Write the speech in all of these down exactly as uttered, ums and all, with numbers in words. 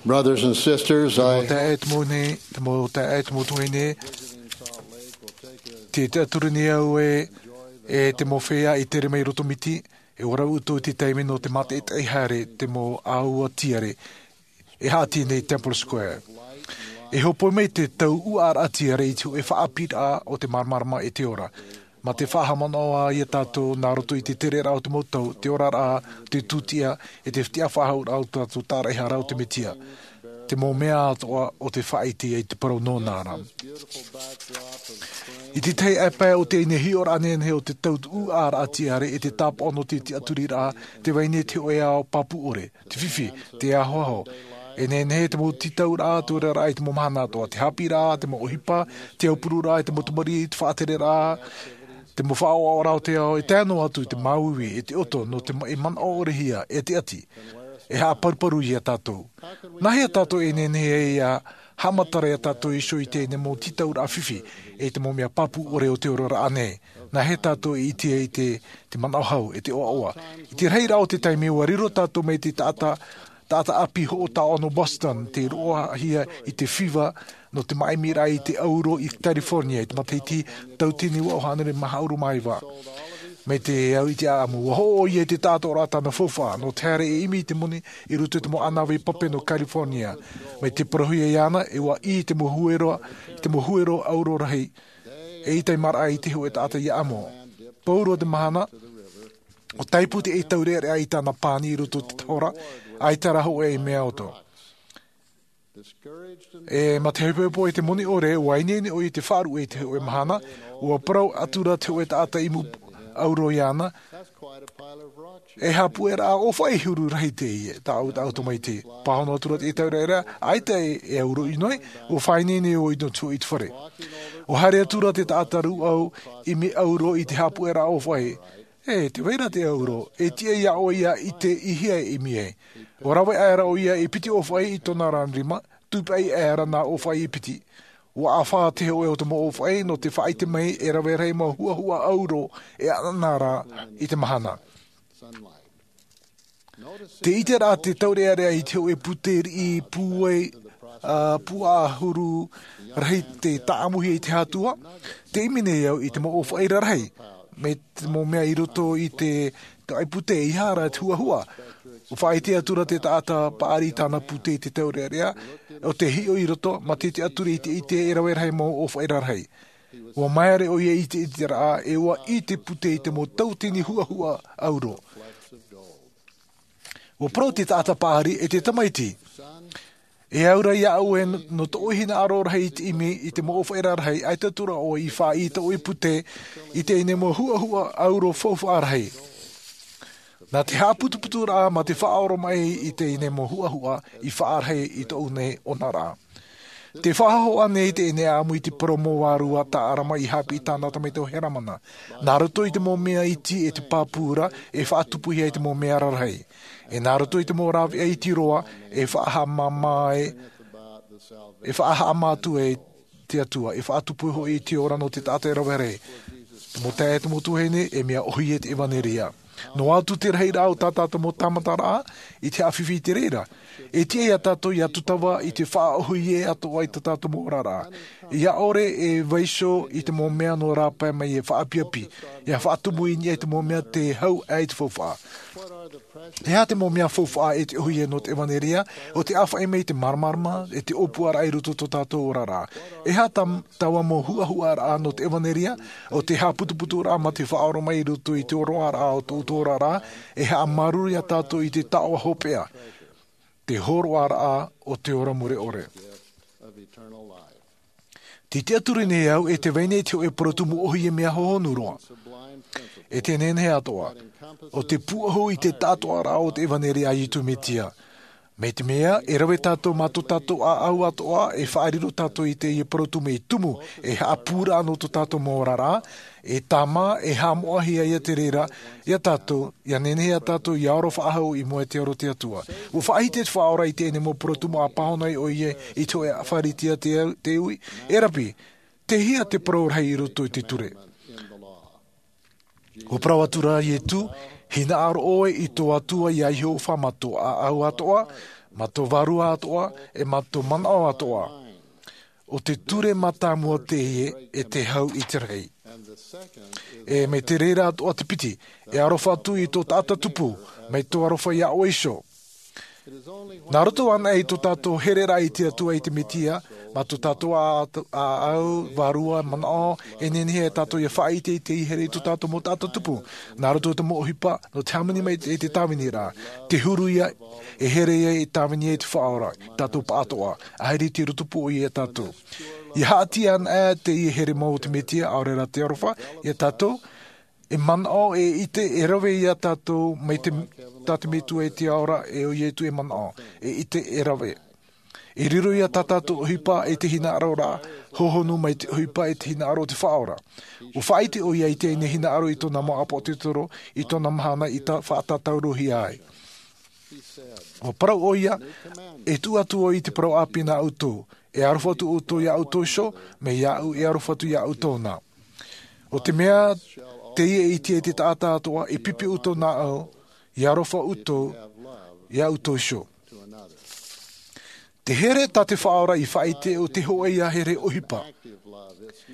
Brothers and sisters, I Te mau taeaʻe, te mau tuahine, te taʻaturi nei au e, e te mau feiā i tere mai roto miti, e ora uto i te taime nō te mātaʻitaʻi haere, te mau ʻāua tiare, e haʻati nei Temple Square. E hopoi mai te tau uʻaraʻa tiare i te hōʻē faʻaʻāpīraʻa o te māramarama e te ora. Ma te faʻahaʻamanaʻo ia tātou nā roto i te tereraʻa o te mau tau, te oraraʻa, te tūtia, e te fetiʻa faʻahou raʻa o tātou tāraʻehara o te Metia. Te mau mea atoʻa o te faʻaʻite i te parau nō nā rā. I te tahi ʻāpae o teie nei hiʻoraʻa nehenehe o te tau uʻaraʻa tiare e te tāpaʻo nō te tiʻaturiraʻa, te vai nei te hōʻē ao pāpū ʻore, te fifi, te ahoaho. E nehenehe te mau tītauraʻa, te oraraʻa i te mau mahana atoʻa, te haʻapiʻiraʻa, te mau ʻohipa, te aupururaʻa, te mau tamariʻi, te faʻatereraʻa, te mau faʻaʻoaʻoraʻa o te ao, e tae noa atu i te māuiui, e te ʻoto, nō te ma-, e manaʻo ʻorehia, e te ʻati. E haʻaparuparu ia tātou. Nā hea tātou e nehenehe ai ia haʻamatara ia tātou iho i teie nei mau tītauraʻa fifi, e te mau mea pāpū ʻore o te oraraʻa nei. Nā hea tātou e ʻite ai te, te manaʻo hau, e te ʻoaʻoa. I te rahiraʻa o te taime ua riro tātou mai te taʻata, taʻata ʻāpī hoʻo taoʻa nō Boston, tei roʻohia i te fiva nō te māʻimiraʻa i te ʻauro i California, i te matahiti tauatini vaʻu hānere mā hāʻuru mā iva. Mai te au i te ʻāʻamu, ua hoʻo ʻoia i te taʻatoʻaraʻa tāna faufaʻa, nō te haere e ʻimi i te moni i roto i te mau ʻānāvai pape nō California. Mai te parauhia iāna, e ua ʻī i te mau huero, i te mau huero ʻauro rahi, e ʻaita i maraʻa i te hōʻē taʻata ia ʻamo. Pauroa te mahana, ʻua tāipu te ʻaitaurearea i tāna pani i roto i te tahora, ʻaita rā hōʻē mea ʻoto. E mā te hepohepo e te moni ʻore, ua ineine ʻoia i te faʻaruʻe i te hōʻē mahana, ua parau atura te hōʻē taʻata ʻimu ʻauro iāna, e haʻapuʻeraʻa ʻōfaʻi huru rahi teie, tāʻu, tāʻu tamaiti. Pāhono atura te ʻaitaurearea, ʻaita e, e ʻauro ʻino ai, ua faʻaineine ʻoia nō te hōʻē i te fare. Ua haere atura te taʻata rūʻau ʻimi ʻauro i te haʻapuʻeraʻa ʻōfaʻi, E, te vai ra te ʻauro, e tiʻa iā ʻoe ia ʻite i hea e ʻimi ai. ʻUa rave aʻera ʻoia e piti ʻōfaʻi i tōna rā rima, tūpaʻi aʻera nā ʻōfaʻi e piti. ʻUa ʻāfā te hōʻē o te mau ʻōfaʻi nō te faʻaʻite mai e rave rahi mau huʻahuʻa ʻauro e ʻanaʻana ra i te mahana. Te ʻiteraʻa te taureʻareʻa i te hōʻē pūtē riʻi pūai, ā, pūʻahuru rahi tei tāʻamuhia i te hātua, tē ʻimi nei au i te mau ʻōfaʻi rarahi, mai te mau mea i roto i te, te ʻaipūtē, ʻeiaha rā te huʻahuʻa. ʻUa faʻaʻite atura te taʻata paʻari i tāna pūtē i te taureʻareʻa, ʻo tē hiʻo i roto, mā te tiʻaturi i te ʻite e rave rahi mau ʻōfaʻi rarahi. ʻUa maere ʻoia i te ʻiteraʻa, e ʻua ʻī te pūtē i te mau tauatini huʻahuʻa ʻauro. ʻUa parau te taʻata paʻari, E te tamaiti, e au ra iāʻu e nō tōʻu hinaʻaro rahi i te ʻimi i te mau ʻōfaʻi rarahi, ʻaita atu ra ʻoe i faʻaʻī i tōʻu pūtē i teie nei mau huʻahuʻa ʻauro faufaʻa rahi. Nā te haʻaputuputuraʻa mā te faʻaoromaʻi i teie nei mau huʻahuʻa i faʻarahi i tōʻu nei ʻonaraʻa. Tē faʻahoʻi nei teie nei ʻāʻamu i te parau mau vārua tā ʻArama i haʻapiʻi i tāna tamaiti ʻo Heramana. Nā roto i te mau mea iti e te pāpū ra, e faʻatupuhia ai te mau mea rarahi. E nā roto i te mau rāveʻa iti roa, e faʻahaʻamāmā ai, e faʻahaʻamā atu ai te Atua, e faʻatupu hoʻi i te ora nō te taʻata e rave rahi. Te mau taeaʻe, te mau tuahine, e mea ʻōhie te ʻevanelia. Noa atu te rahiraʻa o tā tātou mau tāmataraʻa, i te haʻafifi i te reira. E tiʻa iā tātou ʻia tūtava i te faʻaʻōhie atoʻa i tā tātou mau oraraʻa. ʻIa ʻore e vaiiho i te mau mea nō rāpae mai e faʻaapiapi. ʻIa faʻatumu i niʻa i te mau mea tē hau aʻe i te faufaʻa. E aha te mau mea faufaʻa e te ʻōhie nō te ʻevanelia, ʻo te ʻāfaʻi mai i te māramarama, e te ʻōpuaraʻa i roto i tō tātou oraraʻa. E aha tā, taua mau huʻahuʻaraʻa nō te ʻevanelia, ʻo te haʻaputuputuraʻa mā te faʻaoromaʻi i roto i te ʻoroʻaraʻa o tō, tō oraraʻa, e haʻamāuruuru iā tātou i te taoʻa hopeʻa, te hōroʻaraʻa o te ora mure ʻore. Tē tiʻaturi nei au e tē vai nei te hōʻē parau tumu ʻōhie mea hohonu roa. E te nehenehe atoʻa, ʻo te pūʻohu i te taʻatoʻaraʻa o te ʻevanelia a Iesu Mesia. Mai te mea, e rave tātou mā tō tātou ʻāʻau atoʻa, e faʻariro tātou i teie parau tumu e tumu, e haʻapūraʻa nō tō tātou mau oraraʻa, e tāmā, e haʻamoʻahia ia te reira, iā tātou, ʻia nehenehe ā tātou ʻia ora faʻahou i mua i te aro o te Atua. ʻUa faʻahiti te Faʻaora i teie nei mau parau tumu ʻa pāhono ai ʻoia i te hōʻē Pharisea te, te ui, E Rapi, tei hea te parau rahi i roto i te ture? ʻUa parau atura Iesu, Hinaʻaro ʻoe i tō Atua iā Iehova mā tō ʻāʻau atoʻa, Mā tō vārua atoʻa, e mā tō manaʻo atoʻa. ʻO te ture mātāmua teie e te hau i te rahi. E mai te reira atoʻa te piti, e aroha atu i tō taʻata tupu, mai tō aroha iā ʻoe iho. Nā roto anaʻe i tō tātou hereraʻa i te Atua i te Mesia, mā tō tātou ʻāʻau, vārua, manaʻo, e nehenehe e tātou ia faʻaʻite i te here i tō tātou mau taʻata tupu. Nā roto i te mau ʻohipa, nō te hāmani mai i te tāviniraʻa, te huru ia, e here ia i tāvini ai te Faʻaora, tātou pāʻatoʻa, ʻaita i te roto pū ʻoia iā tātou. Ia haʻati anaʻe teie here mau o te Mesia, ʻaore rā te aroha, iā tātou, e manaʻo, e ʻite, e rave iā tātou, mai te, tā te Metua i te ao ra, e ʻo Ietu e manaʻo, e ʻite, e rave. E riro ia tā tātou ʻohipa, e te hinaʻaro ra, hōhonu mai te ʻohipa, e te hinaʻaro o te Faʻaora. ʻUa faʻaʻite ʻoia i teie nei hinaʻaro i tōna mau ʻāpōsetolo, i tōna mahana i tā, faʻatātaurohia ai. ʻUa parau ʻoia, e tuʻu atu au i te parau ʻāpī nā ʻoutou, e aroha atu ʻoutou iā ʻoutou iho, mai iāʻu e aroha atu iā ʻoutou na. ʻO te mea, teie e ʻite ai te taʻata atoʻa, e pipi ʻoutou nāʻu, e aroha ʻoutou, iā ʻoutou iho. Te here tā te Faʻaora i faʻaʻite ʻo te hōʻē ia here ʻohipa.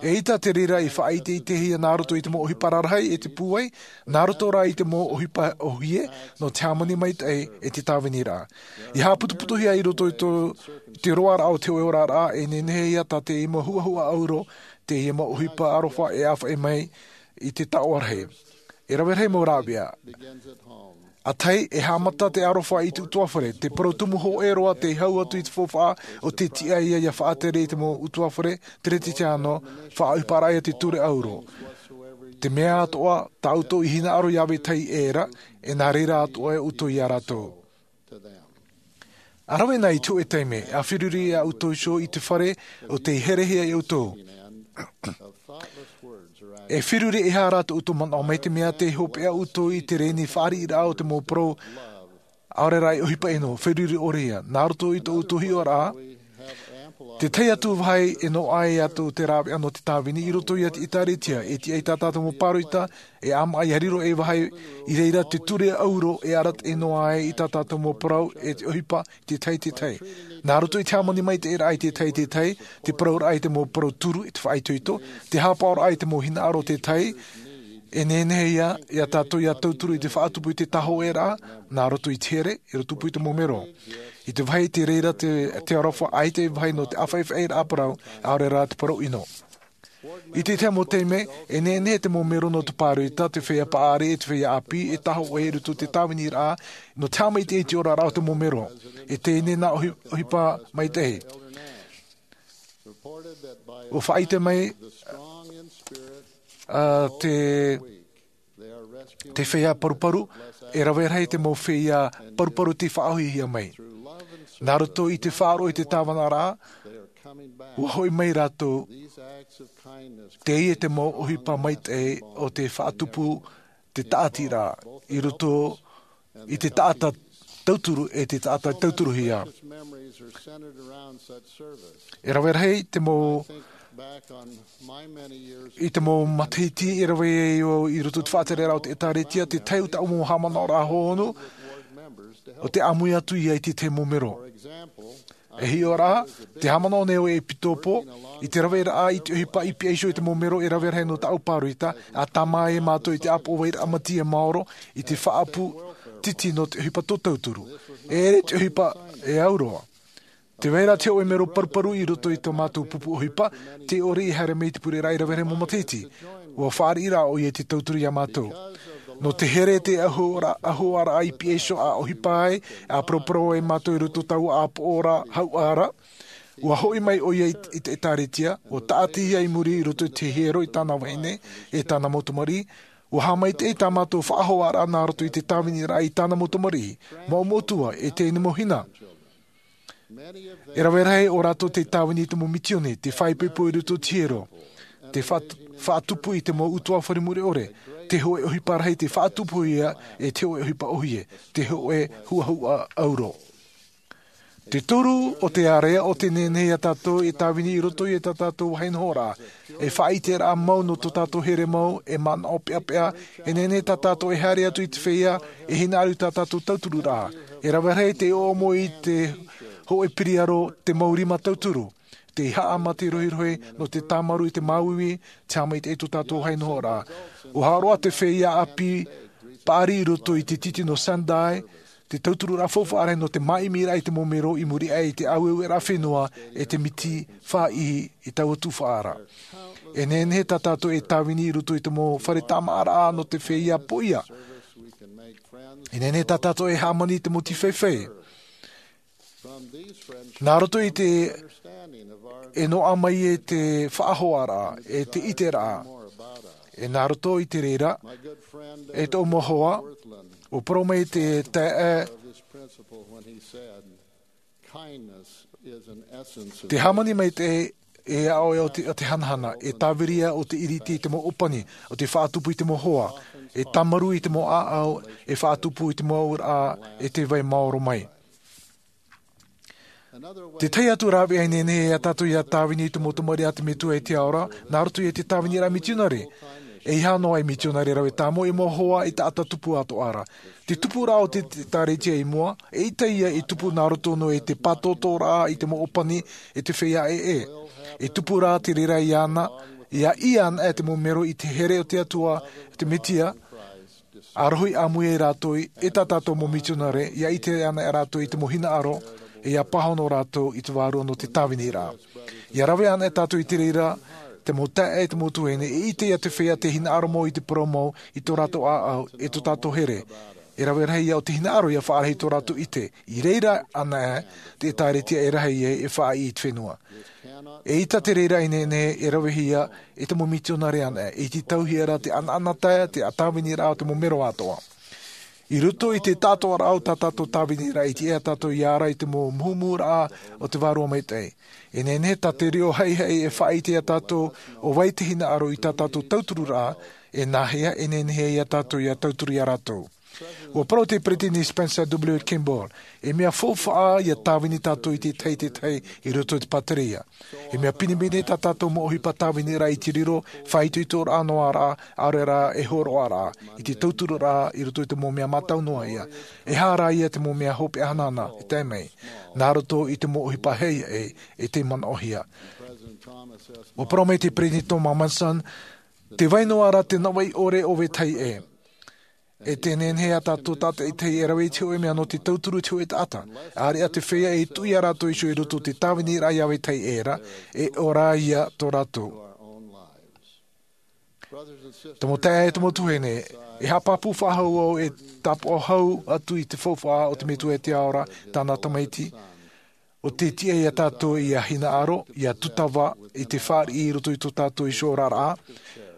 ʻEita te reira i faʻaʻite i te hia nā roto i te mau ʻohipa rarahi e te pūai, nā roto rā i te mau ʻohipa ʻōhie, nō te hāmani maitaʻi e te tāviniraʻa. I haʻaputuputuhia i roto i tō, te roaraʻa o te hōʻē oraraʻa, e nehenehe ia tā te mau huʻahuʻa ʻauro, teie mau ʻohipa aroha e ʻāfaʻi mai i te taoʻa rahi. E rave rahi mau rāveʻa. ʻA tahi, e haʻamata te aroha i te ʻutuāfare, te parau tumu hōʻē roa te hau atu i te faufaʻa ʻo te tiʻa ia ia faʻatere i te mau ʻutuāfare, Teretetiāno, faʻaʻohiparaʻa ia te ture ʻauro. Te mea atoʻa, tā ʻoutou i hinaʻaro iā vetahi ʻē ra, e nā reira atoʻa ʻoutou iā rātou. ʻA rave na i te hōʻē taime, ʻa feruri iā ʻoutou iho i te fare ʻo tei herehia iā ʻoutou. E feruri e aha rā tō ʻoutou manaʻo mai te mea tei hopeʻa ʻoutou i te rēni fāriʻiraʻa o te mau parau, ʻaore rā e ʻohipa ʻino, feruri ʻore ia, nā roto i tō ʻoutou hiʻoraʻa, te tahi atu vāhi e noaʻa ai atu te rāveʻa nō te tāvini i roto ia te ʻĒtārētia, e tiʻa ai tā tātou mau pāroita, e ʻāmaʻa ia riro e vāhi i reira te ture ʻauro e arataʻi noa ai i tā tātou mau parau e te ʻohipa, te tahi, te tahi. Nā roto i te hāmani maitaʻiraʻa i te tahi, te tahi, te parauraʻa i te mau parau turu i te faʻaitoito, te haʻapaʻoraʻa i te mau hinaʻaro o te tahi, e nehenehe ia, iā tātou ia tauturu i te faʻatupu i te tāhōʻēraʻa, nā roto i te here, i roto pū i te mau mero. I te vāhi te reira te, te aroha ʻaita e vāhi nō te ʻāfaʻifaʻiraʻa parau, ʻaore rā te parau ʻino. I te tahi mau taime, e nehenehe te mau mero nō te pāroita, te feiā paʻari, e te feiā ʻāpī, e tāhōʻē i roto i te tāviniraʻa, nō te haʻamaitaʻi i te oraraʻa o te mau mero. E teie nā ʻohi-, ʻohipa maitaʻi. ʻUa faʻaʻite mai, ā, te, te feiā paruparu, e rave rahi te mau feiā paruparu tei faʻaʻōhiehia mai. Nā roto i te faʻaroʻo i te tāvanaraʻa, ʻua hoʻi mai rātou, teie te mau ʻohipa maitaʻi o te faʻatupu te tāʻatiraʻa, i roto i te taʻata tauturu e te taʻata tauturuhia. E rave rahi te mau, i te mau matahiti e rave ai au i roto i te faʻatereraʻa o te ʻĒtārētia, te tahi o tāʻu mau haʻamanaʻoraʻa hōhonu, ʻo te ʻāmui atu ia i te tahi mau mero. E hiʻo ra, te haʻamanaʻo nei au e ʻepitopo, i te raveraʻa i te ʻohipa i piha iho i te mau mero e rave rahi nō tāʻu pāroita, ʻa tāmā ai mātou i te ʻāpoʻo vairaʻa matia maoro, i te faʻaʻapu titi nō te ʻohipa tō tauturu. E ʻere te ʻohipa e au roa. Tē vai ra te hōʻē mero paruparu i roto i tō mātou pupu ʻohipa, tē ʻore i haere mai i te pureraʻa i rave rahi mau matahiti. ʻUa fāriʻi rā ʻoia i te tauturu iā mātou. Nō te here te ʻahuaraʻa, ʻahuaraʻa i piha iho ʻa ʻohipa ai, ʻa paraparau ai mātou i roto i taua ʻāpoʻoraʻa hauʻa ra. ʻUa hoʻi mai ʻoia i, i te ʻĒtārētia, ʻua tāʻatihia i muri i roto i te hiero i tāna vahine, e tāna mau tamariʻi. ʻUa haʻamaitaʻi tā mātou faʻahoaraʻa nā roto i te tāviniraʻa i tāna mau tamariʻi, mau metua, e teie nei mau hina. E rave rahi o rātou tei tāvini i te mau mitioni, tei faʻaipoipo i roto i te hiero, tei fa-, faʻatupu i te mau ʻutuāfare mure ʻore, te hōʻē ʻohipa rahi tei faʻatupuhia, e te hōʻē ʻohipa ʻōhie, te hōʻē huʻahuʻa ʻauro. Te toru o te area o te nehenehe ia tātou e tāvini i roto i tā tātou vāhi nohoraʻa, e faʻaʻiteraʻa mau nō tō tātou here mau, e manaʻo peʻapeʻa. E nehenehe tā tātou e haere atu i te feiā e hinaʻaro i tā tātou tauturuʻraʻa. E rave rahi te ʻoʻomo i te hoʻe piriaro, te mau rima tauturu, te haʻamata rohirohi nō te tāmarū i te māuiui, te haʻamaitaʻi i tō tātou vāhi nohoraʻa. ʻUa hōroʻa te feiā ʻāpī paʻari i roto i te titi nō Sendai te tauturuʻraʻa faufaʻa rahi nō te māʻimiraʻa i te mau mero i muri aʻe i te ʻāueueraʻa fenua e te miti faʻaʻī i taua tuhaʻa ra. E nehenehe tā tātou e tāvini i roto i te mau fare tāmāʻaraʻa nō te feiā poʻia. E nehenehe tā tātou e hāmani i te mau tīfaifai nā roto i te e noaʻa mai e te faʻahoʻaraʻa, e te ʻiteraʻa. E nā roto i te reira, e tōʻu mau hoa, ʻua parau mai te taeaʻe, te hāmani maitaʻi e aʻo o te hanahana, e tāviri ia o te ʻiriti i te mau ʻōpani, o te faʻatupu i te mau hoa, e tāmarū i te mau ʻāʻau, e faʻatupu i te mau auraʻa, e te vai maoro mai. Te tahi atu rāveʻa e nehenehe ia tātou ia tāvini i te mau tamariʻi a te metua e te ao ra nā roto i te tāviniraʻa mitionare. E iha noa e mitionare rave tāmau e mau hoa e taʻata tupu atoʻa ra. Te tupuraʻa o te ʻēkālesia i mua, e ʻita ia e tupu nā roto noa i te pātōtōraʻa i te mau ʻōpani, e te feiā ʻē. E tupu rā te reira iāna ia ʻī ana e te mau mero i te here o te atua, te mesia, a rohi ʻāmui ai rātou i tā tātou mau mitionare, ia ʻite ana e rātou i te mau hinaʻaro, e ia pāhono rātou i te vārua nō te tāviniraʻa. Ia rave ana e tātou i te reira te mau taeaʻe, te mau tuahine, e ʻite ia te feiā te hinaʻaro mau i te parau mau i tō rātou ʻāʻau, e tō tātou here. E rave rahi ia o te hinaʻaro ia faʻarahi i tō rātou ʻite. I reira ana e te ʻēkālesia e rahi ai e faʻaʻī i te fenua. E ʻita te reira e nehenehe e ravehia e te mau mitionare ana e i te tauhia ra te ʻanaʻanatae te tāviniraʻa o te mau mero atoʻa. I roto i te taʻatoʻaraʻa o tā tātou tāviniraʻa i te ʻea tātou ia ara i te mau muhumuraʻa o te vārua maitaʻi. E nehenehe tā te reo haʻihaʻi e faʻaʻite ia tātou o vai te hinaʻaro i tā tātou tauturuʻraʻa, e nāhea e nehenehe ia tātou ia tauturu ia rātou. Ua parau te peresideni Spencer W Kimball, e mea faufaʻa ia tāvini tātou i te tahi te tahi i roto i te pātereia. E mea pinepine tā tātou mau ʻohipa tāviniraʻa i te riro faʻaitoitoraʻa noa ra, ʻaore rā e hōroʻaraʻa i te tauturuʻraʻa i roto i te mau mea mātau noa ia, e hā rā ia te mau mea hopeʻa hanahana e tae mai nā roto i te mau ʻohipa haʻihaʻi e te manaʻohia. Ua parau mai te peresideni Thomas Monson, te vai noa ra te navaʻi ʻore o vetahi ʻē. E te nehenehe ia tātou tātaʻitahi e rave i te hoʻe mea nō te tauturu i te hoʻe taʻata. ʻAreʻa te feiā e tuʻu ia rātou iho i roto i te tāviniraʻa ia vetahi ʻē ra, e ʻore ia tō rātou. Te mau taeaʻe, te mau tuahine, e haʻapāpū faʻahou au e tāpaʻo hau atu i te faufaʻa o te metua e te ao ra, tāna tamaiti. ʻO te tiʻa ia tātou ia hinaʻaro, ia tūtava i te fāriʻi i roto i tō tātou iho oraraʻa,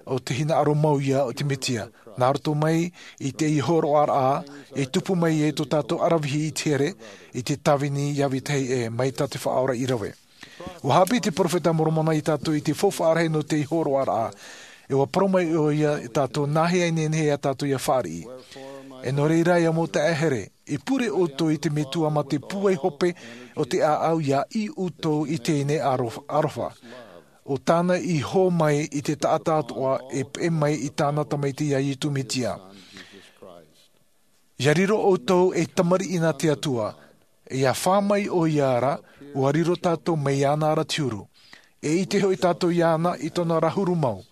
ʻo te hinaʻaro mau ia o te mesia. Nā roto mai i te hōroʻaraʻa e tupu mai ai tō tātou ʻaravihi i te here i te tāvini ia vetahi ʻē mai tā te Faʻaora i rave. Ua haʻapiʻi te peropheta a Moromona ia tātou i te faufaʻa rahi nō te hōroʻaraʻa. E ua parau mai ʻoia ia tātou nāhea e nehenehe ia tātou ia fāriʻi. E nō reira ia mau taeaʻe here, e pure ʻoutou i te metua mā te pūai hope o te ʻāʻau ia ʻī ʻoutou i teie nei arofa, arofa. ʻO tāna i hō mai i te taʻata atoʻa e peʻe mai i tāna tamaiti ia Iesu Mesia. Ia riro ʻoutou ei tamariʻi nā te Atua, ia fā mai ʻoia ra, ua riro tātou mai iāna ra te huru. E ʻite hoʻi tātou iāna i tōna ra huru mau.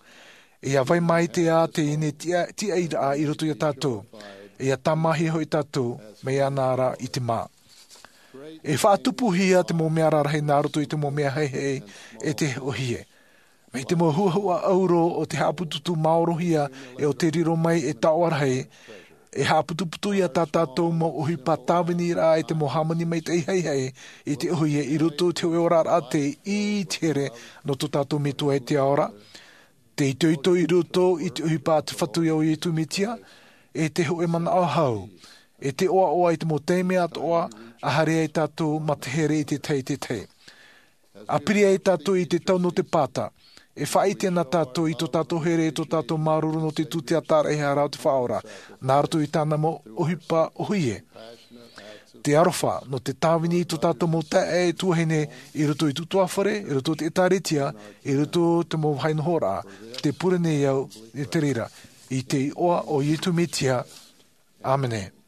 Ia vai mai te ā teie tiʻa, tiʻairaʻa i roto ia tātou. Ia tāmāhia hoʻi tātou mai iāna ra i te mā. E faʻatupuhia te mau mea rarahi nā roto i te mau mea haʻihaʻi e te ʻōhie. Mai te mau huahua ʻauro o te haʻaputuputu maorohia e o te riro mai e taoʻa rahi, e haʻaputuputu ia tā tātou mau ʻohipa tāviniraʻa e te mau hāmani maitaʻi haʻihaʻi i te ʻōhie i roto i te hoʻe oraraʻa tei ʻī i te here nō tō tātou metua e te ao ra, te itoito i roto i te ʻohipa a te Fatu ia o Iesu Mesia, e te hoʻe manaʻo hau, e te ʻoaʻoa i te mau taime atoʻa a haere ai tātou mā te here i te tahi i te tahi. A piri ai tātou i te tau nō te pāta, e faʻaʻite ana tātou i tō tātou here, i tō tātou māuruuru nō te tūtiataraʻa e hara o te Faʻaora, nā roto i tāna mau ʻohipa ʻōhie. te aroha nō te tāvini i tō tātou mau taeaʻe e tuahine, i roto i te ʻutuāfare, i roto i te ʻēkālesia, i roto i te mau vāhi nohoraʻa. Te pure nei au i te reira, i te iʻoa o Iesu Mesia. ʻĀmene.